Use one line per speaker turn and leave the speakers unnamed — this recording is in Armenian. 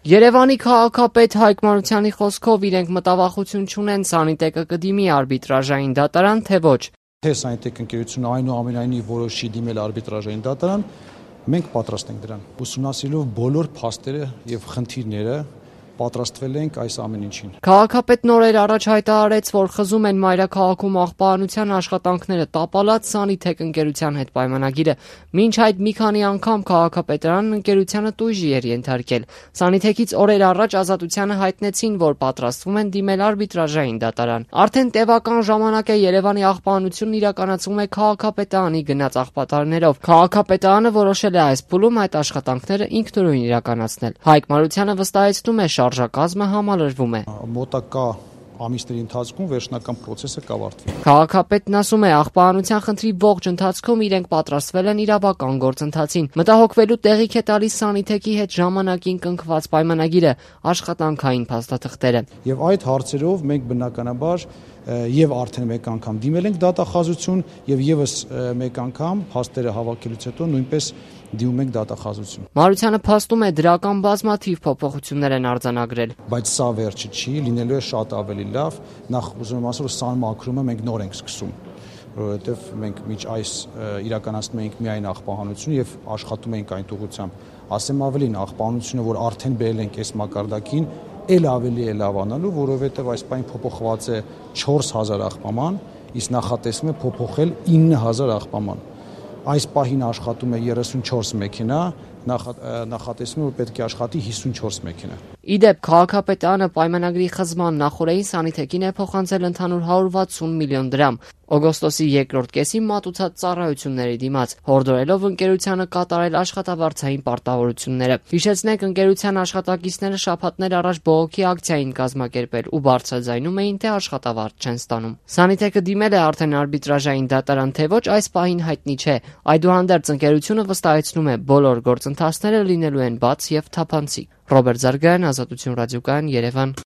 Երևանի քաղաքապետ Հայկ Մարությանի խոսքով իրենք մտավախություն չունեն Սանիտեկը կդիմի արբիտրաժային դատարան, թե ոչ։
Թե Սանիտեկ ընկերությունը այնուամենայնիվ որոշի դիմել արբիտրաժային դատարան, մենք պատրաստ ենք դրան։ Ուսումնասիրելով բոլոր փաստերը եւ խնդիրները պատրաստվել ենք այս ամեն ինչին։
Քաղաքապետն օրեր առաջ հայտարարեց, որ խզում են մայրաքաղաքում աղբահանության աշխատանքները տապալած Սանիտեկ ընկերության հետ պայմանագիրը։ Մինչ այդ մի քանի անգամ քաղաքապետարանն ընկերությանը տույժի էր ենթարկել։ Սանիտեկից օրեր առաջ Ազատությանը հայտնեցին, որ պատրաստվում են դիմել արբիտրաժային դատարան։ Արդեն տևական ժամանակ է Երևանի աղբահանությունն իրականացվում է քաղաքապետարանի գնած աղբատարներով։ Քաղաքապետարանը որոշել է այս փուլում այդ աշխատանքները ինքնուրույն իրականացնել։ Հայկ Մարությանը վստահեցնում է, շարժակազմը համալրվում է։
Մոտակա ամիսների ընթացքում վերջնական process-ը կավարտվի։
Քաղաքապետն ասում է, աղբահանության խնդրի ողջ ընթացքում իրենք պատրաստվել են իրավական գործընթացին։ Մտահոգվելու տեղիք է տալիս Սանիտեկի հետ ժամանակին կնքված պայմանագիրը, աշխատանքային փաստաթղթերը։
Եվ այդ հարցերով մենք բնականաբար եւ արդեն մեկ անգամ դիմել ենք դատախազություն եւ եւս մեկ անգամ փաստերը հավաքելուց հետո նույնպես դիմում ենք դատախազություն։
Մարությանը փաստում է դրական բազմաթիվ փոփոխություններ են արձանագրել։
Բայց սա վերջը չի, լինելու է շատ ավելի լավ։ Նախ ուզում եմ ասել, որ սան մաքրումը մենք նոր ենք սկսում, որովհետեւ մենք միջ այս իրականացնում ենք միայն աղբահանություն եւ աշխատում ենք այն ուղղությամբ։ Ասեմ ավելին, աղբահանությունը, որ արդեն բերել ենք այս մակարդակին, էլ ավելի է լավանալու, որովհետեւ այս պայն փոփոխված է 4000 աղբաման, իսկ նախատեսվում է փոփոխել 9000 աղբաման։ Այս պահին աշխատում է 34 մեքենա, նախատեսվում է, որ պետք է աշխատի 54 մեքենա։
Իդեպ քաղաքապետարանը պայմանագրի խզման նախորդին Սանիտեկին է փոխանցել ընդհանուր 160 միլիոն դրամ։ Օգոստոսի երկրորդ կեսին մատուցած ծառայությունների դիմաց, հորդորելով ընկերությանը կատարել աշխատավարձային պարտավորությունները։ Հիշեցնենք, ընկերության աշխատակիցները շաբաթներ առաջ բողոքի ակցիա էին կազմակերպել ու բարձրաձայնում էին, թե աշխատավարձ չեն ստանում։ Սանիտեկը դիմել է արդեն արբիտրաժային դատարան, թե ոչ, այս պահին հայտնի չէ։ Այդուհանդերձ ընկերությունը վստահեցնում է, բոլոր գործընթացները լինելու են բաց եւ թափանցիկ։ Ռոբերտ Զարգայան, Ազատություն ռադիոկայան, Երևան։